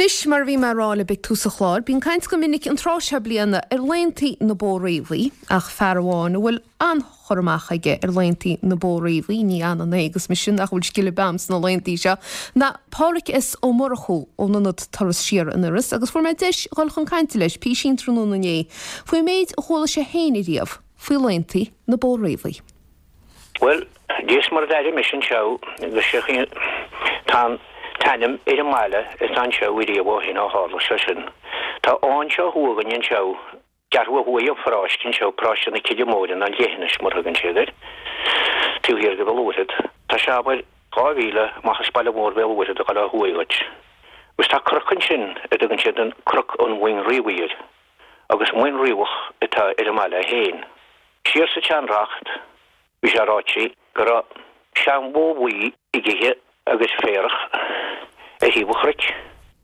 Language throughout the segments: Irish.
Anois, mar a bhí mé a rá libh ag tús an chláir, bíonn caint go minic an tráth seo bliana ar laontaí na Bó Riabhaí, ach fear amháin a bhfuil an-chur amach aige ar laontaí na Bó Riabhaí, ní ionann é agus mise nach bhfuil scil ar bith a'm sna laontaí seo, ná Pádhraic S. Ó Murchú ón Ionad Turas Siar in Iorras agus fuair mé deis dhul chun cainte leis písín tráthnóna inné faoin méid a chuala sé féin ariamh faoi laontaí na Bó Riabhaí. Bhuel, Dia is Muire d'aire mise anseo agus sé chaoi tá an t-ainm ar an mbaile atá anseo ariamh ó shin ó tharla sé sin. Tá anseo thuaidh againn anseo, ceathrú ó thuaidh an pharóiste anseo, paróiste na Cille Móire nó an Leithinis mar a thugann siad air, taobh thiar de Bhéal Mhuirthead. Tá sé abair 2 mhíle amach as baile mór Bhéal Mhuirthead ag dul ó thuaidh dhuit. Agus tá cnoc ansin a dtugann siad an Cnoc an Mhuin Riabhaigh air agus Muin Riabhach atá ar an mbaile féin. Siar sa tseanreacht bhí sé ráite go raibh seanbhó bhuí ag ithe agus féarach ar thaobh an chnoic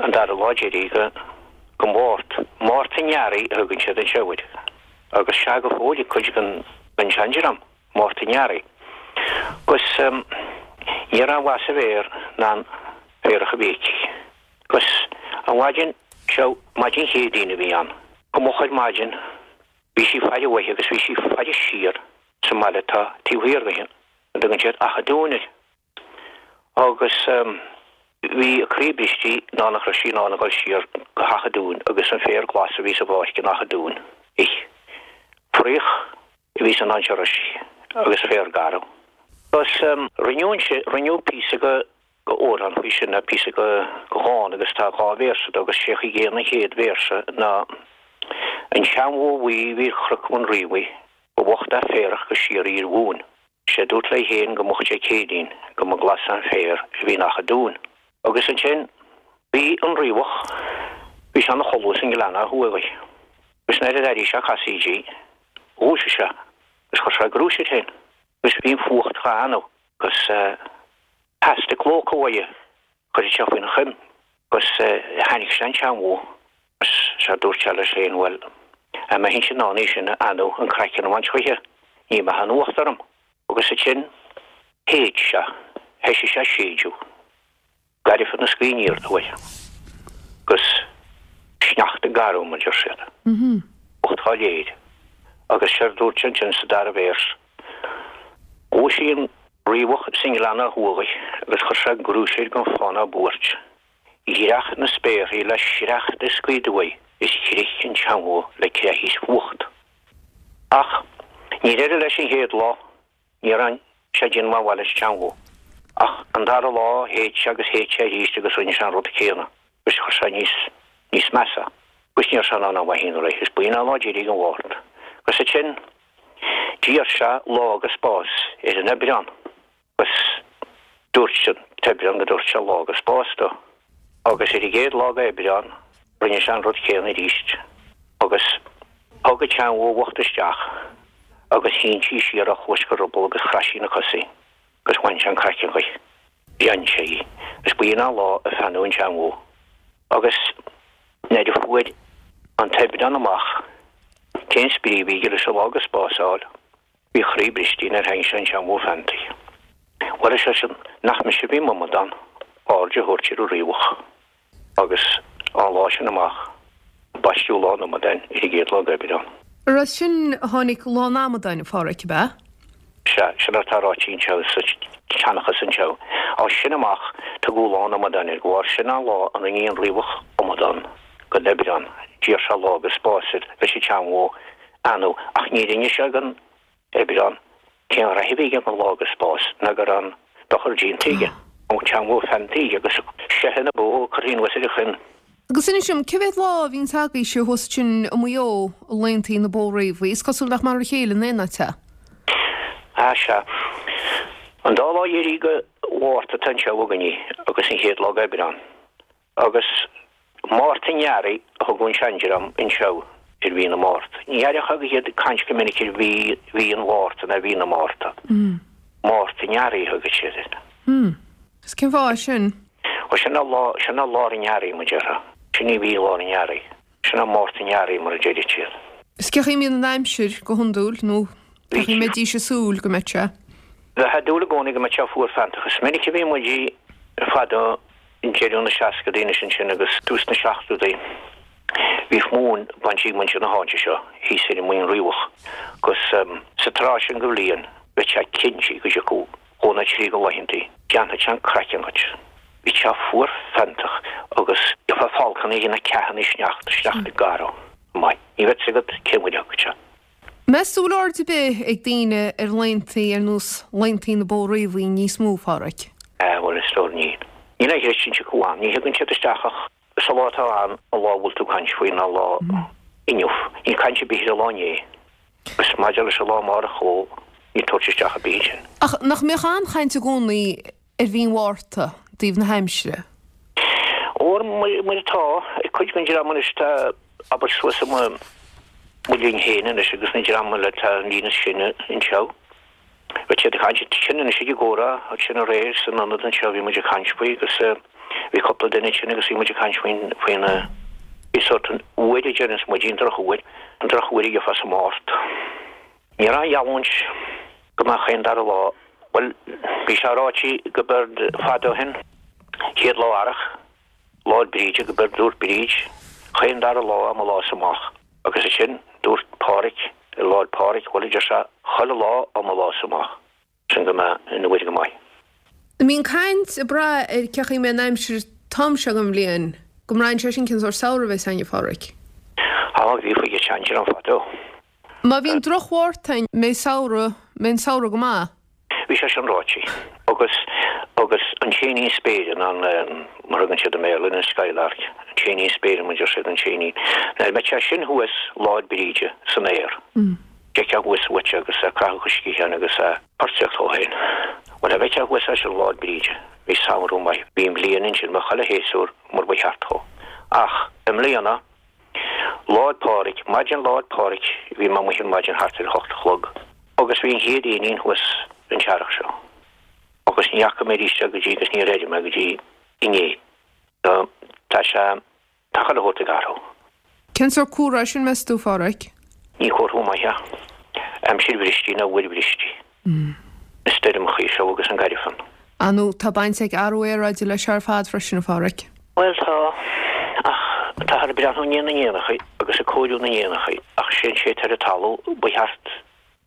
an dara lá deiridh de Mháirt. Márta an Earraigh a thugann siad anseo air agus sea go fóill ag cuid den seandream, Márta an Earraigh. Agus ní raibh aon mhaith sa bhféar ná an féarach a bhí aici. Agus an mhaidin seo, maidin Chéadaoin a bhí ann, go moch ar maidin, Bhí sí ag faire uaithi agus bhí sí ag faire siar sa mbaile atá taobh thiar di, a dtugann siad Achadh Dúin air. Agus bhí a croí briste ná nach raibh sí in ann a dhul siar go hAchadh Dúin agus an féar glas a bhí sa bpáirc in Achadh Dúin a ithe. Fraoch a bhí san áit a raibh sí agus féar garbh. Agus rinneadh, rinneadh píosa de d'amhrán faoi sin, ná píosa de dhán agus tá dhá véarsa de agus sé chaoi gcéanna an chéad véarsa ná An tseanbhó bhuí a bhí ar Chnoc Mhuin Riabhaigh, ba bhocht a' féarach go síoraí ar mhúin. Sé dúirt léi féin go moch Dé Céadaoin go mba glas an féar a bhí in Achadh Dúin. Agus ansin bhí an riabhach, bhí sé ina chodladh sa ngleann ó thuaidh dhi. Agus nuair a d'airigh sé casaoid di, dhúisigh sé agus chuir sé grúis air féin. Agus bhí an fuacht dhá fheannadh agus theastaigh clóca uaidh, chuirfeadh sé faoina choim agus tháinig sé an tseanbhó agus sea dúirt sé leis féin, bhuel, dá mbeinnse in ann í sin a fheannadh an craiceann a bhaint choíche, ní mbeadh an fhuacht orm. Agus ansin shéid sé, thoisigh sé ag séideadh. Gairbhe na scaoth aniar aduaidh agus sneachta garbh, mar deir siad. Fuacht dhá léir. Agus séard dúirt sé ansin sa dara véars, Dhúisigh an riabhach sa ngleann ó thuaidh agus chuir sé grúis air gan fáth ná buairt. Dhreach na spéarthaí le sneachta is gaoth aduaidh is chrith an tseanbhó le creathadh is fuacht. Ach níor éirigh leis an chéad lá. Ní raibh sé ag déanamh aon mhaith leis an tseanbhó. Ach an dara lá shéid sé agus shéid sé arís agus rinne sé an rud céanna agus chuir sé níos, níos measa agus ní raibh sé in ann aon mhaith a dhéanamh léi. Is b'in an lá deiridh den Mhárta. Agus ansin d'iarr sé lá agus spás ar an Aibreán agus dúirt an tAibreán go dtabharfadh sé lá agus spás dó. Agus ar an gcéad lá d'Aibreán rinne sé an rud céanna arís agus thug an tseanbhó bhocht isteach agus shín sí siar ó chluais go ruball agus chraith sí na cosa agus bhain sé an craiceann dhi. Bhreac sé í agus b'in an lá a feannadh an tseanbhó. Agus nuair a fuair an tAibreán amach cén spraoi a bhí aige leis an lá agus spás a fháil, bhí a chroí briste nuair a tháinig sé an tseanbhó feannta. Bhuel, ar seisean, nach mise a bhí m'amadán aird a thabhairt ar an riabhach agus ón lá sin amach baisteadh Lá an Amadáin ar an gcéad lá d'Aibreán. Ar as sin a tháinig Lá an Amadáin, a Pháraic, ab ea? Sea, sin atá ráite anseo sa tseanchas anseo. As sin amach tugadh Lá an Amadáin air, de bharr sin an lá a rinne an riabhach amadán den Aibreán. D'iarr sé lá agus spás air leis an tseanbhó a fheannadh ach ní rinne sé den Aibreán, cén ghraithe a bhí aige don lá agus spás ná go raibh an dochar déanta aige, an tseanbhó feannta aige agus seithe na bó curtha anuas ar a choim. Agus inis dom, cé mhéad lá a bhíonns agaibhse thuas ansin i Maigh Eo, laontaí na Bó Riabhaí? Is cosúil nach mar a chéile in aon áit é. Ah, sea. An dá lá dheiridh de Mhárta atá anseo againne agus an chéad lá d'Aibreán. Agus Márta an Earraigh a thugadh an seandream anseo ar mhí na Márta. Ní aireofá iad ag caint go minic ar mhí, mhí an Mhárta ná mhí na Márta. Márta an Earraigh a thugadh siad air. Agus cén fáth é sin? Ó sin é lá, sin é lár an earraigh, mar déarfá. Sin í mhí lár an earraigh. Sin é Márta an Earraigh mar a deireadh siad. Is cén chaoi a mbíonn an aimsir go hiondúil nó cén chaoi a mbeidís ag súil go mbeadh sé? Bheifeá ag dúil i gcónaí go mbeadh sé fuar feanntach. Is minic a bhí muid fadó. deireadh na seascadaí anois ansin agus tús na seachtódaí, bhíodh móin bainte ag muintir na háite seo thíos ar an Muing Riabhach agus sa tráth sin de bhliain bheadh sé cinnte go dtiocfadh dhó nó trí de laethantaí, déanfadh sé an craiceann dhuit. Bhí sé fuar feanntach agus gheofá folcáin ag déanamh ceathanna sneachta, sneachta garbh maith. Ní bheadh 'fhios agat cén uair a thiocfadh sé. Meas tú bhfuil aird ar bith ag daoine ar laethantaí ar nós laethantaí na Bó Riabhaí níos mó, a Pháraic? Bhuel, a stór, níl. Níl aon chreistiúint acu ann. Ní thigeann siad isteach ach sa lá atá ann, an lá a bhfuil tú ag caint faoi ná lá inniu. Níl caint ar bith ar an lá inné. Agus maidir leis an lá amárach, ó, níl tabhairt isteach ar bith ansin. Ach nach mbíodh an-chaint i gcónaí ar mhí an Mhárta, i dtaobh na haimsire? Óir mar atá ag cuid den dream anois tá, abair, suas i mo linn féin anois agus na dream eile atá an líon is sine anseo, bheadh siad ag caint sin anois ag an gcomhrá ansin aréir san ionad anseo bhí muid ag caint faoi agus bhí cúpla duine ansin agus bhí muid ag caint faoin faoin faoi sórt an uair a deireanns muid, an drochuair, an drochuair a gheofá sa Mháirt. Ní raibh aon gheallúint go mbeadh aon dara lá. Bhuel, bhí sé ráite go b'éard fada ó shin, chéad lá earrach, Lá 'le Bríde, go b'éard dúirt Bríd, chaon dara lá ó mo lá-sa amach. Agus ansin, dúirt Pádhraic, ar Lá 'le Pádhraic, bhuel, a deir sé, chuile lá ó mo lá-sa amach. Sin go mbeadh an uair go maith. An mbíonn caint ag brath ar cén chaoi a mbeidh an aimsir an t-am seo den bhliain, go mbraitheann sé sin cén sórt samhradh a bheas againn, a Pháraic? Á, bhí faoi an tseandir ann fadó. Má bhíonn droch-Mhárta ann, mbeidh samhradh, mbeidh an samhradh go maith. Bhí sé sin ráite. Agus, agus an t-éinín spéire, nó an, mar a thugann siad i mBéarla, an skylark, an t-éinín spéire, mar a deir siad, an t-éinín. Nuair a bheadh sé sin thuas Lá 'le Bríde san aer, d'fheicfeá thuas uait é agus é ag croitheadh a sciatháin agus é portaíocht dhó féin. Bhuel, a bheadh sé thuas é sin Lá 'le Bríde, bhí samhradh maith, bhí an bhliain ansin, bheadh chuile shéasúr mar ba cheart dhó. Ach, i mbliana, Lá 'le Pádraig, maidin Lá 'le Pádraig, bhí mé amuigh ar maidin thart ar a hocht a chlog agus bhí an chéad éinín thuas an t-earrach seo agus ní fhaca mé arís é go dtí agus níor airigh mé go dtí inné. So, tá sé, tá chuile shórt ag athrú. Cén sórt comhartha é sin, meas tú, a Pháraic? Ní comhartha maith é. Aimsir bhristí nó uair bhristí. Na stoirmeachaí seo agus an gairfean. Ar ndóigh, tá baint ag athrú aeráide leis seo ar fad freisin, a Pháraic. Bhuel, tá, ach táthar ag breathnú i ndiaidh na n-éanachaí agus ag cóiriú na n-éanachaí, ach sé an té atá ar an talamh ba cheart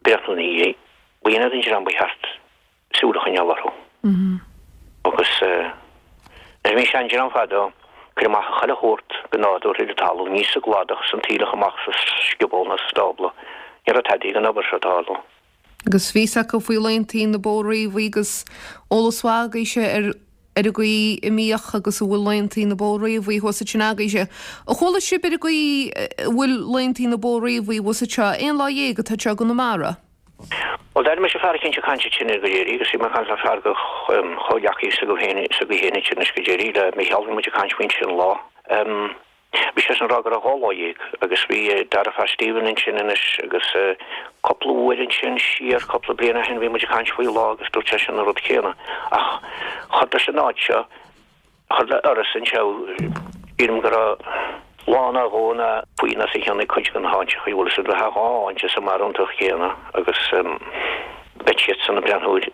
breathnú ina dhiaidh. Ba iad an dream ba cheart súil a choinneáil orthu. Agus nuair a bhí an seandream fadó, ag cur amach chuile shórt go nádúrtha ar an talamh, ní sa gcladach, san taoileach amach sa scioból ná sa stábla. Ní raibh tada den obair seo ag tarlú. Agus bhí fhios acu faoi laontaí na Bó Riabhaí agus eolas mhaith agaibhse ar ar an gcaoi a mbíodh agus a bhfuil laontaí na Bó Riabhaí thuas ansin agaibhse. Ar chuala sibh ar an gcaoi a bhfuil laontaí na Bó Riabhaí thuas anseo? Aon lá dhéag atá anseo i gConamara. Bhuel, d'airigh mise fear eicínt ag caint ansin ar go deiridh agus bhí mé ag caint le fear de chomhghleacaí s'agaibh féin, s'agaibh féin ansin anois go deiridh, le Micheál, bhí muid ag caint faoin sin lá. Bhí seisean ag rá go raibh 12 lá agus bhí dara fear Stephen ansin anois agus cúpla uair ansin siar, cúpla bliain ó shin bhí muid ag caint faoi lá agus dúirt seisean an rud céanna. Ach chomh leis an áit seo, chomh le Iorras anseo, sílim go raibh lá nó dhó nó faoi nó os a chionn ag cuid de na háiteachaí, bhfuil fhios agat, bheadh dhá áit sa mbarúntacht chéanna agus beidh siadsan ag breathnú ar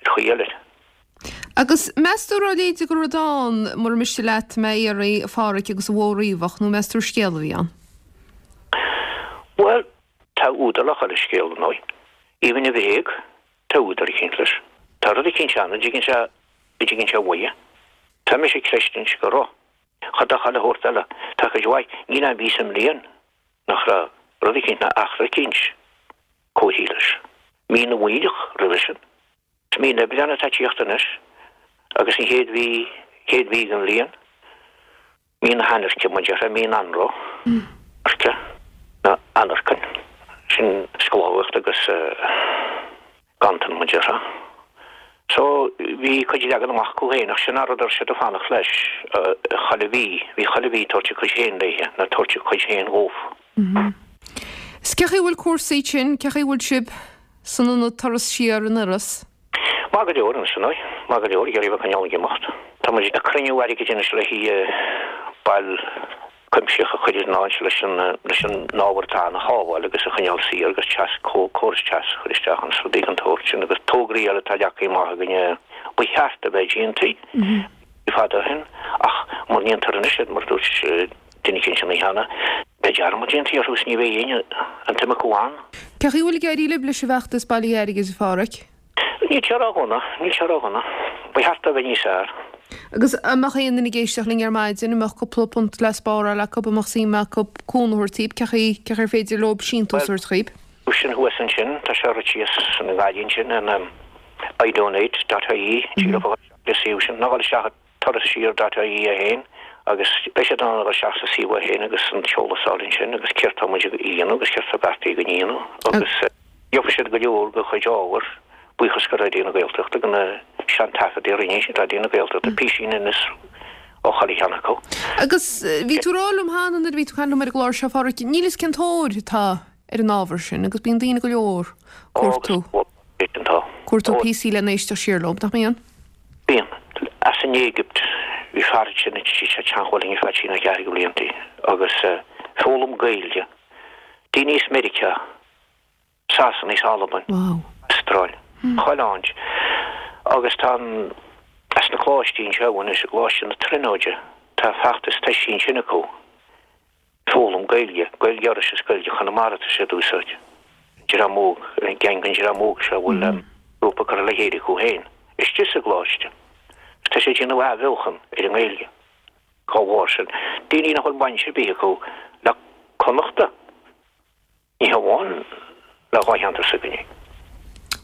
chaoi eile. Agus meas tú raibh a leithéid de rud ann, mura miste leat mé a iarraidh, a Pháraic, agus an bhó riabhach, nó meas tú gur scéal a bhí ann? Bhuel, tá údar le chuile scéal, ar ndóigh. Even i bhréag, tá údar eicínt leis. Tá rud eicínt ann a dtigeann sé, a dtigeann sé uaidh. Tá mise ag creistiúint go raibh. Chomh le chuile shórt eile, tá cuid mhaith, níl aon mhí sa mbliain nach raibh rud eicínt ná eachtra eicínt comharthaithe leis. Mí na bhFaoilleach roimhe sin. Is mí an Aibreáin atá ag tíocht anois agus an chéad mhí, chéad mhí den bhliain, mí na hainirce, mar a déarfá, mí an anró, airce, nó anarcain, sin sclábhaíocht agus ganntan, mar a déarfá. So, bhí cuid leagan amach acu féin ach sin an rud a raibh siad ag fanacht leis, chuile mhí, bhí chuile mhí ag tabhairt a cuid féin léithe, nó tabhairt a cuid féin dhóibh. Is cé chaoi a bhfuil cúrsaí ansin, cé chaoi a bhfuil sibh san ionad Turas Siar in Iorras? Maith go leor anois, ar ndóigh. Maith go leor, ag iarraidh a bheith ag coinneáil ag imeacht. Tá muid ag cruinniú airgid anois le haghaidh bail cuimsitheach a chur ar an áit leis an leis an ábhar atá ann a shábháil agus a choinneáil saor agus teas córas teas a chur isteach ann is rudaí den tsórt sin agus tograí eile atá leagtha amach againne ba cheart a bheith déanta fada ó shin. Ach mura ndéantar anois iad, mar a dúirt duine eicínt an oíche cheana, beidh dearmad déanta orthu is ní bheidh éinne an tsuim acu ann. Cén chaoi a bhfuil ag éirí libh leis an bhfeachtas bailithe airgid, a Pháraic? Níl sé ró-dhona, níl sé ró-dhona. Ba cheart é a bheith níos fearr. Agus an mbeadh aon duine ag éisteacht linn ar maidin, an mbeadh cúpla punt le spáráil acu, an mbeadh suim acu cúnamh a thabhairt daoibh, cén chaoi, cén chaoi ar féidir leo síntiús a thabhairt dhaoibh? Sin thuas ansin, tá sé rite síos san gcailín sin in idonate dot ie, tig leo a dhul isteach sa suíomh sin, nó a dhul isteach i turassiar dot ie é féin agus beidh siad in ann a dhul isteach sa suíomh é féin agus an t-eolas a fháil ansin agus céard tá muid a dhéanamh agus céard tá beartaithe againn a dhéanamh agus gheobhaidh siad go leor de chuid ábhair, buíochas go Raidió na Gaeltachta, de na seantaifeadaí a rinne Raidió na Gaeltachta, písín anois ó chuile cheann acu. Agus bhí tú ag rá liom cheana nuair a bhí tú ag caint liom ar an gclár seo, a Pháraic, níl fhios cén tóir atá ar an ábhar sin agus bíonn daoine go leor cuartú cuartú píosaí lena éisteacht siar leo, nach mbíonn? Bíonn. As an Éigipt, bhí fear ansin a bhí sé ag teagmháil linn ar feadh trí nó ceathair de bhlianta agus foghlaim Gaeilge. Daoine as Meiriceá, Sasana is Albain, Astráil, chuile áit. Agus tá an, as na coláistí anseo anois, i gColáiste na Tríonóide, tá feachtas toisithe ansin acu. Foghlaim Gaeilge, Gaeilge Iorrais is Gaeilge Chonamara atá siad a úsáid. Dream óg, gang den dream óg seo a bhfuil grúpa curtha le chéile acu féin istigh sa gcoláiste. Agus tá siad ag déanamh athbheochan ar an nGaeilge dá bharr sin. Daoine nach bhfuil baint ar bith acu le Connachta, ní hamháin le dhá cheantar s'againne.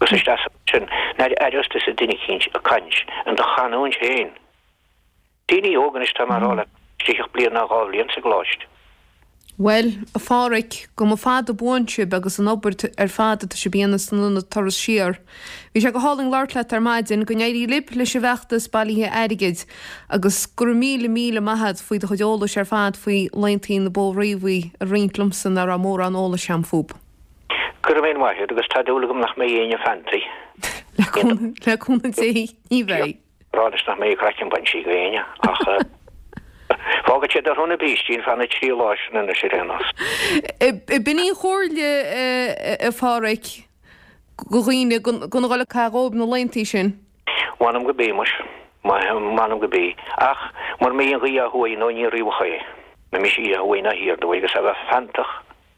Agus isteach sin, nuair a aireos tusa duine eicínt ag caint in do chanúint féin, Daoine óga anois, tá mé a rá leat, istigh ach bliain ná 2 bhliain sa gcoláiste. Bhuel, a Pháraic, go mba fada buan sibh agus an obair ar fad atá sibh a dhéanamh san ionad Turas Siar. Bhí sé go hálainn labhairt leat ar maidin, go n-éirí libh leis an bhfeachtas bailithe airgid agus go raibh míle míle maith a't faoi do chuid eolais ar fad faoi laontaí na Bó Riabhaí a roinnt liomsa ná raibh mórán eolais a'm fúb. Go raibh míle maith agat agus tá dúil agam nach mbeidh éinne feanntaí. Le cúnamh Dé, ní bheidh. rá anois nach mbeidh craiceann bainte ag éinne ach fágfaidh siad orthu na brístí ar feadh na dtrí lá sin anois ar aon nós. B'in í an chomhairle, a Pháraic, do dhaoine gan a dhul ag caitheamh dhóibh na laontaí sin. Mh'anam go b'í, muis. Mh'anam go b'í. Ach mura mbí an ghaoth ó thuaidh nó aniar riabhach é, mura mbí sí ó thuaidh ná thiar dúinn agus a bheith feanntach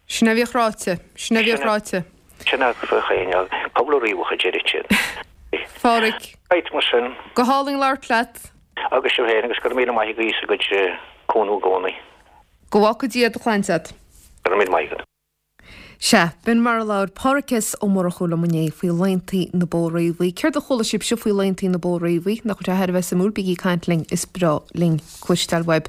Sin a bhíodh ráite. Sin a bhíodh ráite. Sin a bhíodh éinne. Cúpla riabhach a deireadh siad. Pháraic. Right, mar sin. Go hálainn labhairt leat. Agus sibh féin, agus go raibh míle maith agaibh as bhur gcuid cúnamh i gcónaí. Go bhfágfaidh Dia do shláinte agat. Go raibh míle maith agat. Sea, b'in mar a labhair Páraic S. Ó Murchú liom inné faoi laontaí na Bó Riabhaí. Céard a chuala sibhse faoi laontaí na Bó Riabhaí? Nach bhfuil sé thar a bheith suimiúil? Bígí ag caint linn, is breá linn cloisteáil uaibh.